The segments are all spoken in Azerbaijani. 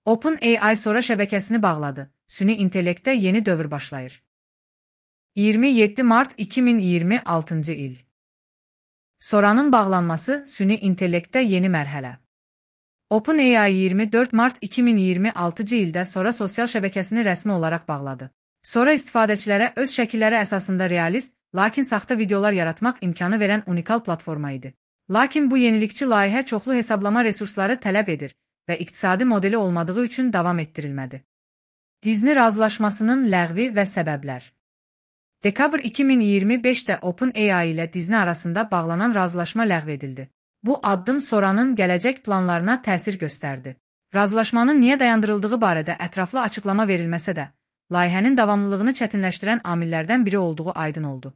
OpenAI Sora şəbəkəsini bağladı. Süni intellektdə yeni dövr başlayır. 27 Mart 2026 il. Sora'nın bağlanması süni intellektdə yeni mərhələ. OpenAI 24 Mart 2026 ildə Sora sosial şəbəkəsini rəsmi olaraq bağladı. Sora istifadəçilərə öz şəkilləri əsasında realist, lakin saxta videolar yaratmaq imkanı verən unikal platforma idi. Lakin bu yenilikçi layihə çoxlu hesablama resursları tələb edir və iqtisadi modeli olmadığı üçün davam etdirilmədi. Disney razılaşmasının ləğvi və səbəblər. Dekabr 2025-də OpenAI ilə Disney arasında bağlanan razılaşma ləğv edildi. Bu addım Sora'nın gələcək planlarına təsir göstərdi. Razılaşmanın niyə dayandırıldığı barədə ətraflı açıqlama verilməsə də, layihənin davamlılığını çətinləşdirən amillərdən biri olduğu aydın oldu.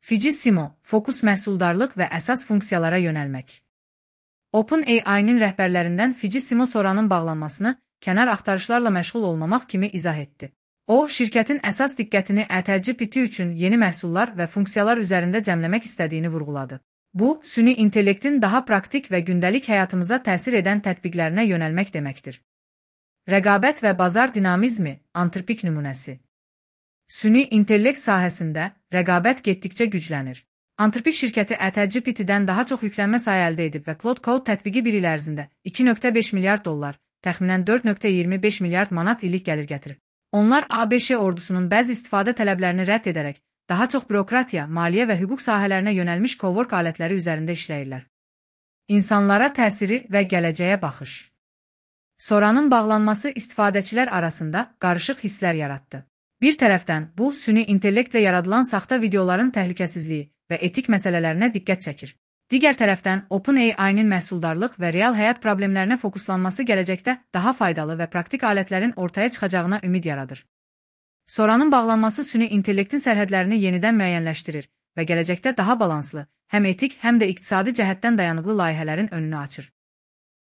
Fijisimo, fokus məhsuldarlıq və əsas funksiyalara yönəlmək. OpenAI-nin rəhbərlərindən Fijisimo Sora'nın bağlanmasını kənar axtarışlarla məşğul olmamaq kimi izah etdi. O, şirkətin əsas diqqətini ChatGPT üçün yeni məhsullar və funksiyalar üzərində cəmləmək istədiyini vurğuladı. Bu, süni intellektin daha praktik və gündəlik həyatımıza təsir edən tətbiqlərinə yönəlmək deməkdir. Rəqabət və bazar dinamizmi, antropik nümunəsi. Süni intellekt sahəsində rəqabət getdikcə güclənir. Antropik şirkəti ChatGPT-dən daha çox yüklənmə sayı əldə edib və Claude Code tətbiqi bir il ərzində $2.5 milyard, təxminən $4.25 milyard manat illik gəlir gətirib. Onlar ABŞ ordusunun bəzi istifadə tələblərini rədd edərək, daha çox bürokratiya, maliyyə və hüquq sahələrinə yönəlmiş cowork alətləri üzərində işləyirlər. İnsanlara təsiri və gələcəyə baxış. Sora'nın bağlanması istifadəçilər arasında qarışıq hisslər yaratdı. Bir tərəfdən, bu, süni intellektlə yaradılan saxta videoların təhlükəsizliyi və etik məsələlərinə diqqət çəkir. Digər tərəfdən, OpenAI-nin məhsuldarlıq və real həyat problemlərinə fokuslanması gələcəkdə daha faydalı və praktik alətlərin ortaya çıxacağına ümid yaradır. Sora'nın bağlanması süni intellektin sərhədlərini yenidən müəyyənləşdirir və gələcəkdə daha balanslı, həm etik, həm də iqtisadi cəhətdən dayanıqlı layihələrin önünü açır.